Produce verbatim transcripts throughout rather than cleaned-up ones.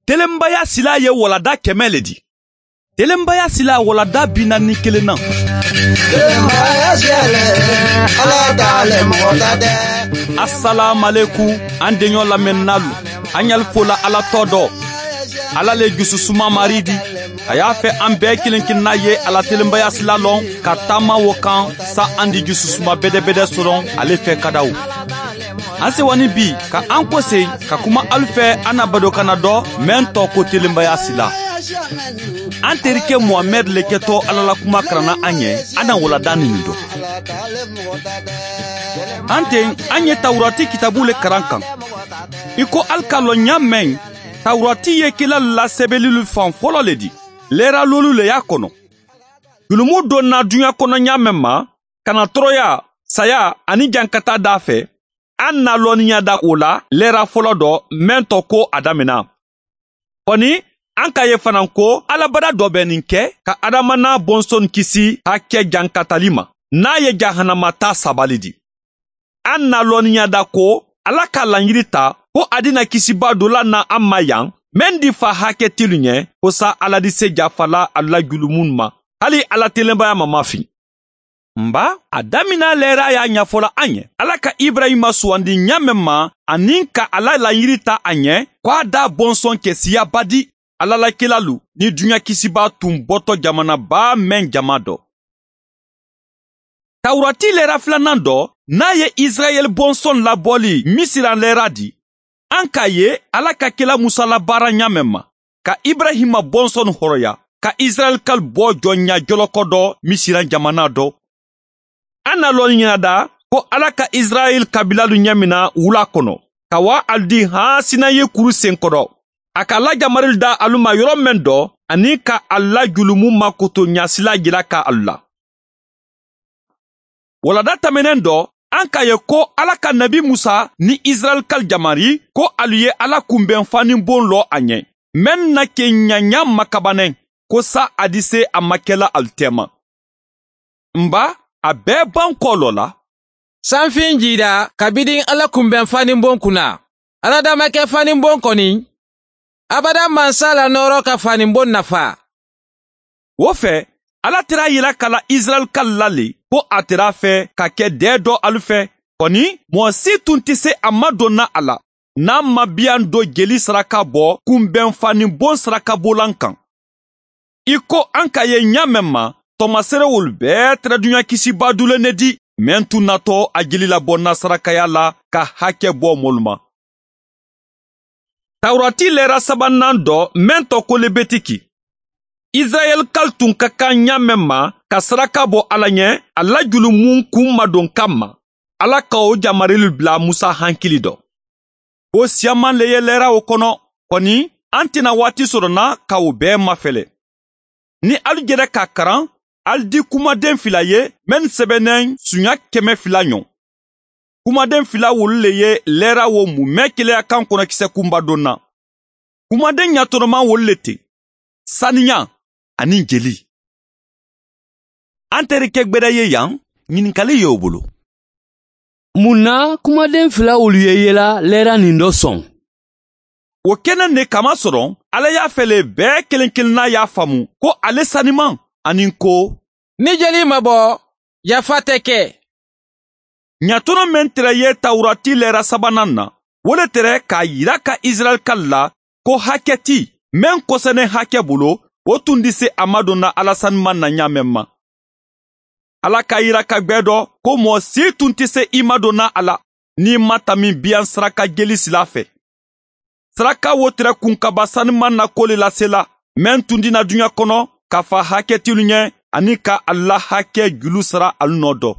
Telenbaya silaa ye walanda kɛmɛ le di. Telenbaya silaa walanda bi naani ni kelen na. Telenbaya silaa le, ala ta le mɔgɔ ta tɛ. Asalaamalekum, an deɲɔ lamɛnninaalu, an ɲali fo la ala tɔ dɔ. Ala le jususuma mari di. A y'a fɛ an bɛɛ kelen kelenna ye a la telenbaya sila lɔn ka taama wo kan, sa an di jususuma bɛdɛbɛdɛ sɔrɔ ale fɛ kadaw. An sewani bi ka an kose ka kuma alu fɛ an na badokanna dɔ mɛn tɔ ko telenbaya sila. An terike muhamɛd le kɛtɔ ala la kuma karanna an ɲɛ, an na walada nin dɔ. An ten, an ye tawurati kitabu le karan kan. I ko alu ka lɔn ɲa mɛn, tawurati ye kila lasɛbɛlilu fan fɔlɔ le di. Lɛra lolu le y'a kɔnɔ. Julumu donna duɲa kɔnɔ ɲa mɛn ma, ka na tɔɔrɔya, saya ani jankataa daa fɛ. An na lɔnniya da o la lɛra fɔlɔ dɔ mɛn tɔ ko a damina. Kɔni, an ka ye fana ko alabada dɔ bɛ nin kɛ ka adama n'a bɔnsɔn kisi hakɛ jankatali ma, n'a ye jahanama ta sabali di. An na lɔnniya da ko ala ka laɲini ta ko a dina kisiba dola na an ma yan, mɛn di fa hakɛ tilu ɲɛ ko sa ala di se jafala a la julumun ma, hali ala telenbaya ma mafin. Nba, a damina lɛra y'a ɲafɔla an ye ala ka ibrahima suwandi ɲa mɛn ma, ani ka ala laɲini ta a ɲɛ ko a da bɔnsɔn kɛ siyaba di ala la kelalu ni duɲa kisiba tun bɔtɔ jamanaba mɛn jama dɔ. Tawurati lɛra filanan dɔ, n'a ye israɛl bɔnsɔn labɔli misira lɛra di. An k'a ye ala ka kela musa labaara ɲa mɛn ma, ka ibrahima bɔnsɔn hɔrɔya, ka israɛl kal bɔ jɔnya jɔlɔkɔ dɔ misira jamana dɔ. An na lɔnni ɲɛnada ko ala ka israɛl kabilalu ɲɛmina wula kɔnɔ, ka wa ali di han sinayi kuru senkɔrɔ, a ka lajamarili da alu ma yɔrɔ mɛn dɔ, ani ka a la julumu makoto ɲasila jira ka alu la. Walada tɛmɛnen dɔ, an k'a ye ko ala ka nabi musa ni israɛl kal jamari ko alu ye ala kunbɛn fanibon lɔ a ɲɛ, mɛn na ke ɲaɲa makabanɛ, ko sa a di se a ma kɛla alu tɛma. Nba, a bɛɛ ban kɔ lɔ la. Sanfin jida kabidin ala kunbɛn fanibon kunna, ala dama kɛ fanibon kɔni, abada mansa la nɔɔrɔ ka fanibon nafa. Wo fɛ, ala tera yira ka la israɛl kal la le ko a tera fɛ ka kɛ dɛɛ dɔ alu fɛ. Kɔni, mɔgɔ si tun tɛ se a ma donna a la, n'a ma biyan do jeli saraka bɔ kunbɛn fanibon sarakabolan kan. I ko an ka ye ɲa mɛn ma, tɔmaserewolu bɛɛ tɛrɛduɲa kisiba dulen ne di, mɛn tun natɔ a jeli labɔnna sarakaya la ka hakɛ bɔ mɔlu ma. Tawurati lɛra sabanan dɔ mɛn tɔ ko lebetiki. Israɛl kal tun ka kan ɲa mɛn ma ka saraka bɔ ala ɲɛ, a la julumun kun madon kan ma, ala ka o jamarili bila musa hankili dɔ. O siyaman le ye lɛra o kɔnɔ, kɔni, an tɛna waati sɔrɔ na ka o bɛɛ mafɛlɛ. Ni alu jɛrɛ k'a karan, alu di kumaden fila ye, mɛn sɛbɛnnen suɲa kɛmɛ fila ɲɔ. Kumaden fila wolu le ye lɛra wo mumɛ keleya kan kɔnɔkisɛ kunba don na. Kumaden ɲatɔnɔman wolu le ten: saniya ani jeli. An terikɛ gbɛrɛ ye yan, ɲininkali y'o bolo. Mun na kumaden fila wolu ye yela lɛra nin dɔ sɔn? O kɛnɛ ne kamasɔrɔ, ala y'a fɛ le bɛɛ kelen kelenna y'a faamu ko ale saniman, ani ko, ni jeli ma bɔ, yafa tɛ kɛ. Ɲatɔnɔ mɛn tɛrɛ ye tawurati lɛra sabanan na, wo le tɛrɛ k'a yira ka israɛl kal la ko hakɛ ti, mɛn kɔsɛnɛ hakɛ bolo, o tun di se a madonna ala saniman na ɲa mɛn ma. Ala ka yira ka gbɛ dɔ ko mɔgɔ si tun tɛ se i madonna a la, n'i ma tami biyan saraka jeli sila fɛ. Saraka wo tɛrɛ kun kaba saniman na ko le lasela, mɛn tun dina duɲa kɔnɔ ka fa hakɛtilu ɲɛ, ani ka ala hakɛ julu sara alu nɔ dɔ.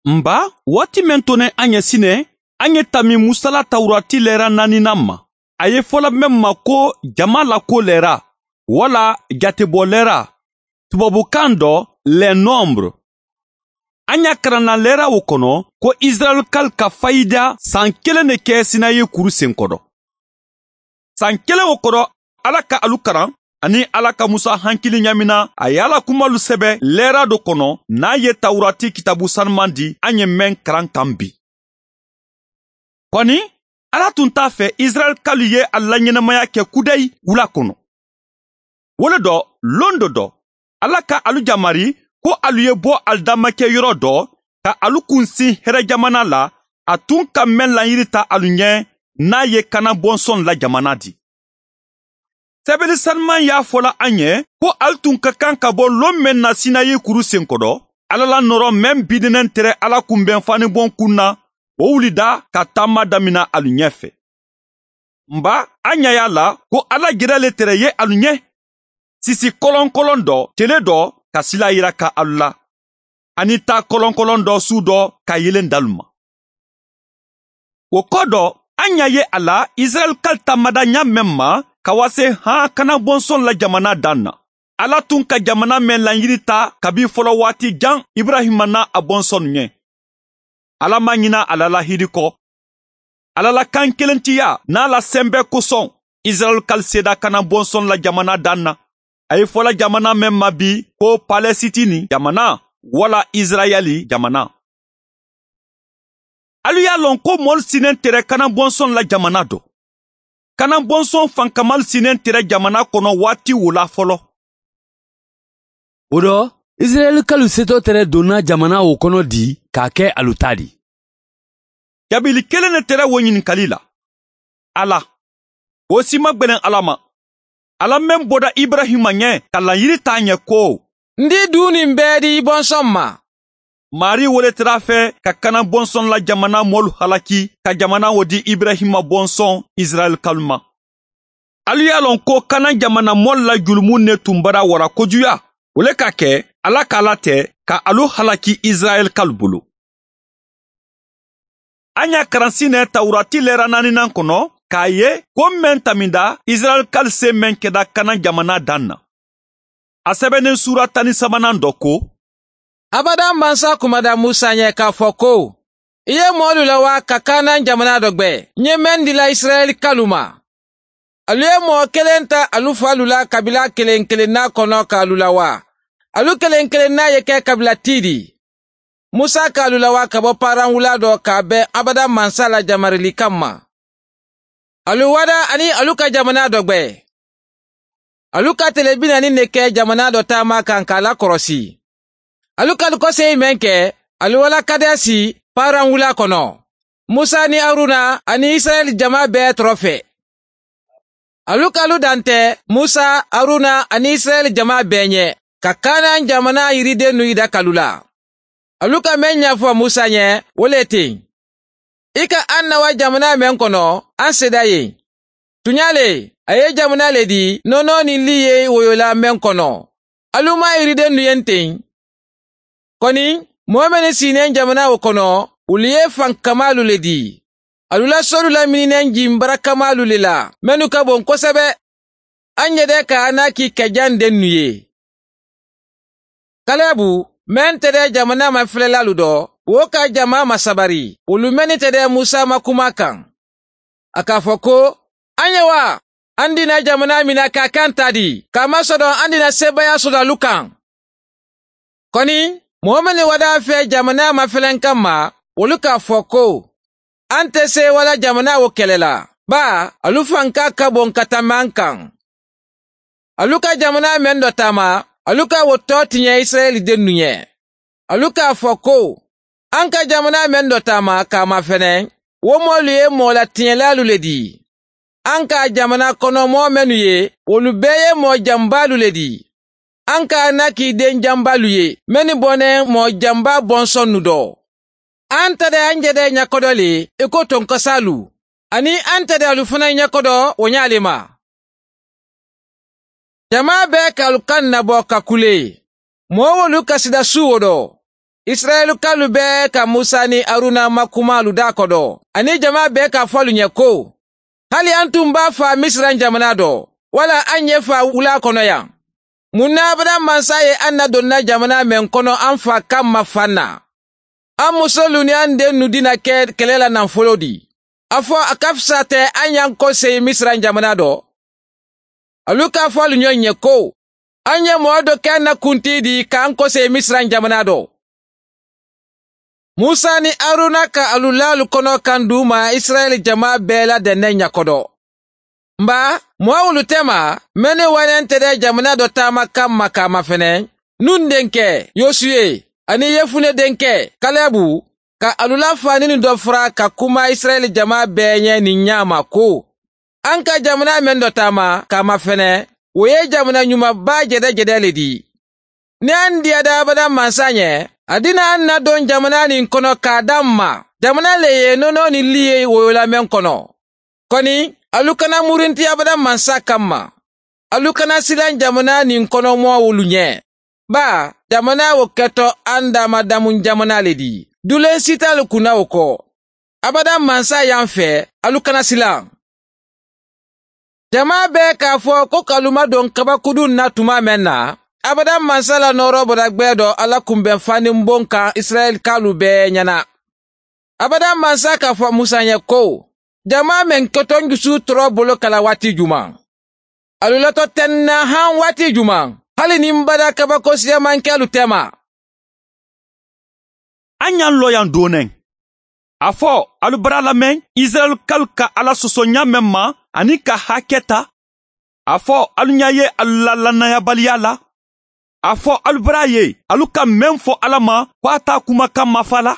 Nba, waati mɛn tonnen an ye sinɛ, an ye tami musala tawurati lɛra naaninan ma. A ye fɔla mɛn ma ko jama lako lɛra, wala jatebɔ lɛra, tubabukan dɔ, les nombres. An y'a karanna lɛra o kɔnɔ ko israɛl kal ka fayida san kelen de kɛ sinayi kuru senkɔrɔ. San kelen o kɔrɔ, ala ka alu karan, ani ala ka musa hankili ɲamina, a ye ala kumalu sɛbɛ lɛra do kɔnɔ, n'a ye tawurati kitabu sanuman di an ye mɛn karan kan bi. Kɔni, Ala tun t'a fɛ isirayɛli kalu ye a la ɲɛnamaya kɛ kudayi wula kono. Wo le dɔ, londo dɔ, Ala ka alu jamari ko alu ye bɔ alu damakɛ yɔrɔ dɔ ka alu kunsin hɛrɛ jamana la, a tun ka mɛn laɲiri ta alu ɲɛ, n'a ye kanan bɔnsɔn la jamana di. Sɛbɛli saniman y'a fɔla an ye ko alu tun ka kan ka bɔ lon mɛn na sinayi kuru senkɔrɔ, Ala la nɔrɔ mɛn bidinɛn tɛrɛ Ala kunbɛn fanibɔn kun na, o wulida ka taama damina alu ɲɛ fɛ. Nba, a ɲa y'a la ko Ala jerɛ le tɛrɛ ye alu ɲɛ, sisi kɔlɔnkɔlɔn dɔ tele dɔ ka sila yira ka alu la, ani taa kɔlɔnkɔlɔn dɔ su dɔ ka yelen dalu ma. Wo kɔ dɔ, an ɲa ye a la isirayɛli kali taamada ɲa mɛn ma ka wase han kanan bɔnsɔn la jamana dan na. Ala tun ka jamana mɛn laɲiri ta kabi fɔlɔ waati jan iburahima n'a a bɔnsɔnw ɲɛ. Ala ma ɲina a la lahidi kɔ. Ala la kan kelentiya n'a la sɛnbɛ kosɔn, isirayɛli kali seda kanan bɔnsɔn la jamana dan na. A ye fɔla jamana mɛn ma bi ko palɛsitini jamana, wala isirayɛli jamana. Alu y'a lɔn ko moolu si nɛn tɛrɛ kanan bɔnsɔn la jamana dɔ. Kanan bɔnsɔn fankamalu si nɛn tɛrɛ jamana kɔnɔ waati wo la fɔlɔ. Wo dɔ, isirayɛli kalu seto tɛrɛ donna jamana wo kɔnɔ di k'a kɛ alu ta di. Jabili kelen ne tɛrɛ wo ɲininkali la. Ala, wo si ma gbɛlɛn Ala ma. Ala men boda iburahima ɲɛ ka laɲiri ta a ɲɛ ko, n di duuni bɛɛ di i bɔnsɔn ma. Maarii wo le tara a fɛ ka kanan bɔnsɔn la jamana moolu halaki ka jamana wo di iburahima bɔnsɔn isirayɛli kalu ma. Alu ye a loŋ ko kanan jamana moolu la julumu ne tun bara wara kojuya, wo le ka ke Ala ka Ala te ka alu halaki isirayɛli kalu bulu. A ɲa karansinɛ tawurati leera naaninan kono k'a ye ko men taminda isirayɛli kalu se men keda kanan jamana dan na. A sebenin suura tan ni sabanan dɔ ko, abada mansa kumada musa ɲɛ k'a fɔ ko, i ye moolu la waa ka kanan jamana dɔ gbɛ n ye men dila isirayɛli kalu ma. Alu ye moo kelen ta alu faalu la kabila kelen kelenna kono k'alu lawaa. Alu kelen kelenna ye ke kabila tii di. Musa k'alu lawaa ka bo paran wulaa dɔ k'a ben abada mansa la jamarili kamma. Alu wada aniŋ alu ka jamanaa dɔ gbe. Alu ka tele bi naani ne ke jamanaa dɔ taamaa kaŋ ka a lakorosi. Alu ka alu koseyi meŋ ke, alu wo la kadesi paran wulaa kono, musa niŋ haruna aniŋ isirayila jamaa bee toro fee. Alu ka alu dante musa, haruna aniŋ isirayila jamaa bee ñe, ka kaanaan jamanaa yiridennu yida ka alu la. Alu ka meŋ ñafo musa ñe, wo le ti, i ka an na wa jamanaa meŋ kono, an seeda ye. Tuñaa le, a ye jamanaa le dii noonoo niŋ lii ye woyolaa meŋ kono, alu maŋ yiridennu ye n teŋ. Koni, moo mennu si i neŋ jamanaa wo kono, wolu ye fankamaalu le dii. Alu la soolu la minineŋ jimbarakkamaalu le la, mennu ka boŋ kosebe. An je de ka anaki ke jandennu ye. Kalebu, meŋ te de jamanaa mafelelaalu do, wo ka jamaa masabari wolu mennu te de musa ma kumaa kaŋ. A ka a fo ko, an ye wa an dina jamanaa mina ka a kaŋ taa di ka a masodoŋ an dina seebayaa soto alu kaŋ? Koni, moo mennu wadaa fee jamanaa mafeleŋ kamma, wolu ka a fo ko, an te seewa la jamanaa wo kele la, baa alu fankaa ka boŋ ka tambi an kaŋ. Alu ka jamanaa meŋ do taama, alu ka wo too tiñe isirayila dennu ñe. Alu ka a fo ko, an ka jamanaa meŋ do taama ka a mafene, wo moolu ye moo la tiñelaalu le dii. An ka jamanaa kono moo mennu ye, wolu bee ye moo jambaalu le dii. An ka anaki den jambaalu ye, mennu boneŋ moo jambaa bonsonnu do. An te de an je de ñakodoo le i ko tonkosaalu, aniŋ an te de alu fanaa ñakodoo wo ñaa le ma. Jamaa bee ka alu kaŋ naboo ka kulee. Moo wolu ka sida suuwo do, isirayila kalu bee ka musa niŋ haruna makumaalu daakodoo aniŋ jamaa bee ka a fo alu ñe ko, hali an tun be a faa misira jamanaa do, walla an ye faa wulaa kono yaŋ? Muŋ na abada mansa ye an na donna jamanaa meŋ kono an faa kamma fanna? An musolu niŋ an dennu dina ke kele la naŋ foloo di. A fo a ka fisa te an ye an koseyi misira jamanaa do? Alu ka a fo alu ñoŋ ye ko, an ye moo do ke an na kuntii di ka an koseyi misira jamanaa do. Musa niŋ Haruna ka alu laalu konoo kaŋ duuma isirayila jamaa bee la dendeŋ ñakodo. Mba, moo wolu tema mennu waneentede jamanaa do taama kamma ka a mafene, nun denkee yosuwe aniŋ yefune denkee kalebu ka alu la faaninu do fura ka kuma isirayila jamaa bee ñe niŋ ñaama ko, aŋ ka jamanaa meŋ do taama ka a mafene, wo ye jamanaa ñuma baa jede jede le dii. Niŋ a ndiya da abadaŋ mansa ñe, a dina a na doŋ jamanaa niŋ kono ka a daŋ ma jamanaa le ye nonoo niŋ liye woyo la meŋ kono. Koni, alu kana murinti abadaŋ mansa kamma. Alu kana silaŋ jamanaa niŋ kono moo wolu ñe. Baa, jamanaa wo keto a ndaama damuŋ jamanaa le dii duleŋ sitaalu kunna wo ko. Abadaŋ mansa ye a fe, alu kana silaŋ. Jamaa bee ka a fo ko ka alu madoŋ kabakuduŋ na tumaa meŋ na, abadaŋ mansa la nooroo bota gbee do alla kumbeŋ fandimboŋ kaŋ isirayilikaalu bee ñana. Abadaŋ mansa ka a fo musa ye ko, jamaa meŋ keto n jusuu toroo bolo ka la waati jumaŋ? Alu loto teŋ na haŋ waati jumaŋ? Hali niŋ bada kabako siyamankeelu tema. A ñaŋ looyaŋ dooneŋ. A fo alu bara lameŋ isirayilukaalu ka alla soso ñaameŋ ma aniŋ ka hake ta. A fo alu ña ye alu la lannayabaliyaa la. A fo alu bara ye alu ka meŋ fo alla ma ko a ta kuma ka mafa la.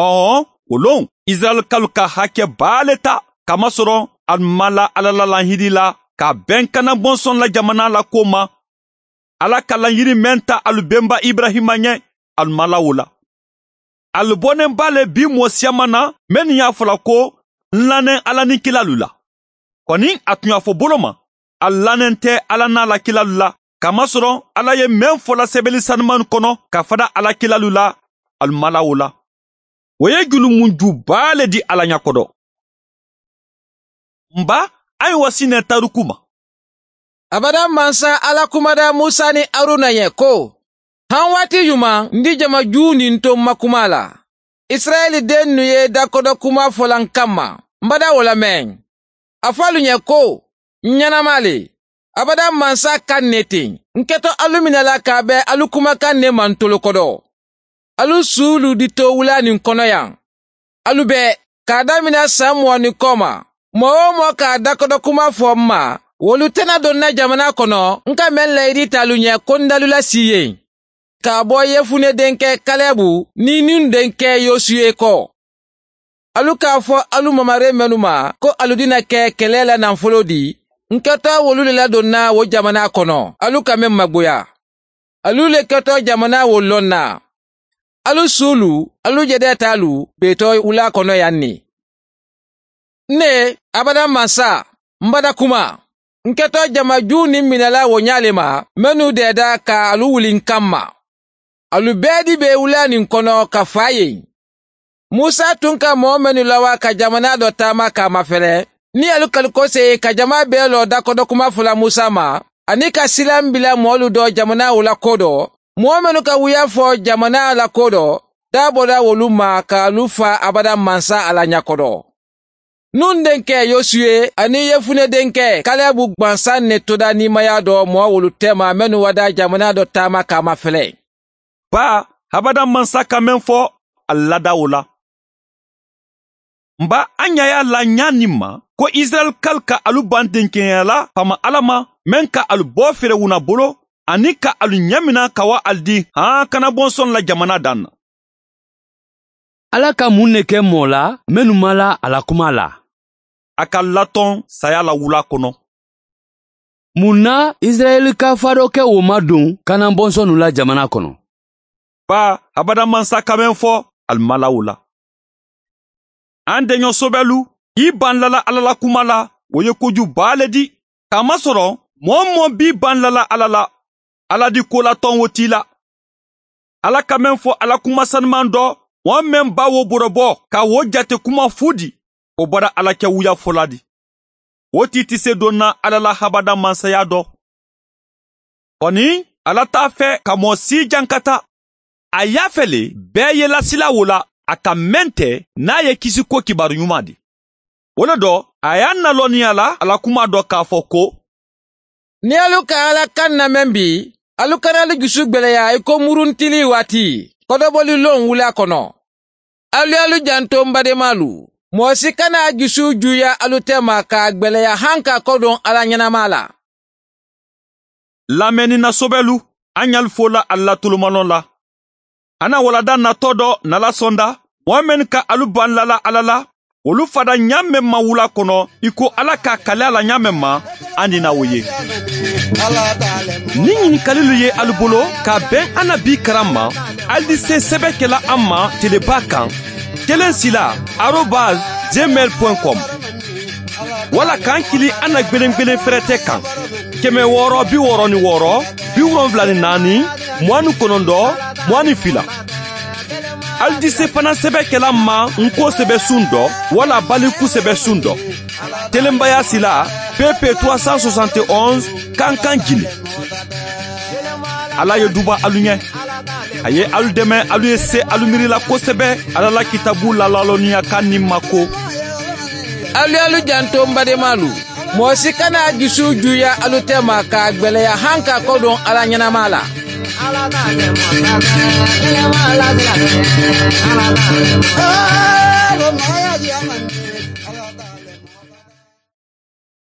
Ɔɔ, wo loŋ isirayilukaalu ka hake baa le ta kamasɔrɔ alu ma la alla la lahiidi la ka a beŋ kana bonsoŋ la jamanaa la kuwo ma. Alla ka lahiidi meŋ ta alu benba iburayima ñe, alu ma la wo la. Alu boneŋ baa le bii moo siyaŋ ma na mennu ye a fo la ko n laneŋ alla niŋ kilaalu la. Koni a tun ye a fo bolo ma, alu laneŋ te alla niŋ a la kilaalu la, kamasɔrɔ alla ye meŋ fo la sebeeli sanumaanu kono ka fada alla kilaalu la, alu ma la wo la. Wo ye julumunju baa le di alla ñakodo. Mba, a ye wasi ne taruku ma. Abadaŋ mansa alla kumada musa niŋ haruna ye ko, haŋ waati jumaŋ n di jama juu niŋ to n ma kuma la? Isirayila dennu ye dakodo kuma fo la n kamma. N bada wo la meŋ. A fo alu ye ko, n ñanama le. Abadaŋ mansa kaŋ ne teŋ n keto alu mina la ka a be alu kuma kaŋ ne mantolo kodo. Alu suulu di to wulaa niŋ kono yaŋ. Alu be ka a damina saŋ muwani kooma, moo-wo-moo ka a dakodo kuma fo m ma, wolu te na doŋ na jamanaa kono n ka meŋ layidiita alu ñe ko n dalula siiyeŋ. Ka a bo yefune denke kalebu niŋ nun denke yosuwe ko, alu ka a fo alu mamaree mennu ma ko alu dina ke kelee la naŋ foloo di, n keta wolu le la doŋ na wo jamanaa kono alu ka meŋ magbuya. Alu le keta jamanaa wo loŋ na. Alu suulu, alu jedeetaalu beetoo wulaa kono yaŋ ne. N ne abadaŋ mansa, m bada kuma. N keta jama juu niŋ minala wo ñaa le ma mennu deeda ka alu wuli n kamma. Alu bee di be wulaa niŋ kono ka faa ye. Musa tun ka moo mennu lawa ka jamanaa do taama ka a mafele, niŋ alu kalu kosee ka jamaa bee loo dakodo kuma fula musa ma, aniŋ ka silaŋ bila moolu do jamanaa wo la koo do, moo mennu ka wuya fo jamanaa la koo do, daa bota wolu ma ka alu faa abadaŋ mansa a la ñakodo. Nun denke yosuwe aniŋ yefune denke kalebu gbansaŋ ne toda niimayaa do moo wolu teema mennu wada jamanaa do taama ka a mafele. Baa, habadaŋ mansa ka meŋ fo, ali lada wo la. Mba, a ña ye a la ñaanin ma ko isirayilukaalu ka alu baŋ denkeneya la faama alla ma, meŋ ka alu bo firawuna bolo, aniŋ ka alu ñemina ka wa ali di haakana bonsoŋ la jamanaa daŋ na. Alla ka muŋ ne ke moo la mennu ma la a la kuma la? A ka latoŋ saya la wulaa kono. Muŋ na isirayila ka fadoo ke wo ma duŋ kanan bonsonnu la jamana kono? Baa, habada mansa ka meŋ fo, ali ma la wo la. An deño sobelu, i baŋ lala alla la kuma la, wo ye koju baa le di. Kamasoro moo-wo-moo be i baŋ lala alla la, alla di koolatoŋ wo ti i la. Alla ka meŋ fo a la kuma sanumaŋ do, moo meŋ ba wo borobo ka wo jate kuma fuudi, wo bara alla ke wuyafolaa di. Wo ti ti seedoo na alla la habada mansayaa do. Koni, alla te a fee ka moo sii jankata. A yaafe le bee ye lasila wo la a ka meŋ te, niŋ a ye kisi ko kibaaru ñumaa di. Wo le do, a ye a naloo niŋ a la a la kumaa do ka a fo ko, niŋ alu ka alla kaŋ na meŋ bi, alu kana alu jusu gbeleya i ko muruntilii waati. Kodoboli loŋ wula kono. Alu ye alu janto m bademaalu. Moo si kana a jusu juuya alu tema ka a gbeleya haŋ ka kodoŋ alla ñanamaa la. Lameni na sobelu, a ñalu fo la alla tulumaloŋ la. A na walada natoo do na la sonda, moo mennu ka alu baŋ lala alla la, wolu fada ñaameŋ ma wula kono i ko alla ka a kali a la ñaameŋ ma. A ni na wo ye. Niŋ ñinikalilu ye alu bolo ka a beŋ a na bii karaŋ ma, ali di se sebe ke la a ma telebaa kaŋ, keleŋ sila, arobas, gmail point com. Walla ka a kili a na gbeleŋ gbeleŋ ferete kaŋ, keme wooro bi wooro ni wooro, bi wolonwula ni naani, muwaŋ ni konondoo, muwaŋ ni fila. Ali di se fanaŋ sebe ke la a ma n ko sebe suŋ do, walla baliku sebe suŋ do. Telembayaa sila, pp trois cent soixante et onze, kankan jini. Alla ye duba alu ñe. A ye alu deme alu ye se alu miiri la kosebe alla la kitaabu laalaaloniya kaŋ niŋ ma ko. Alu ye alu janto m bademaalu. Moo si kana a jusu juuya alu tema ka a gbeleya haŋ ka kodoŋ alla ñanamaa la.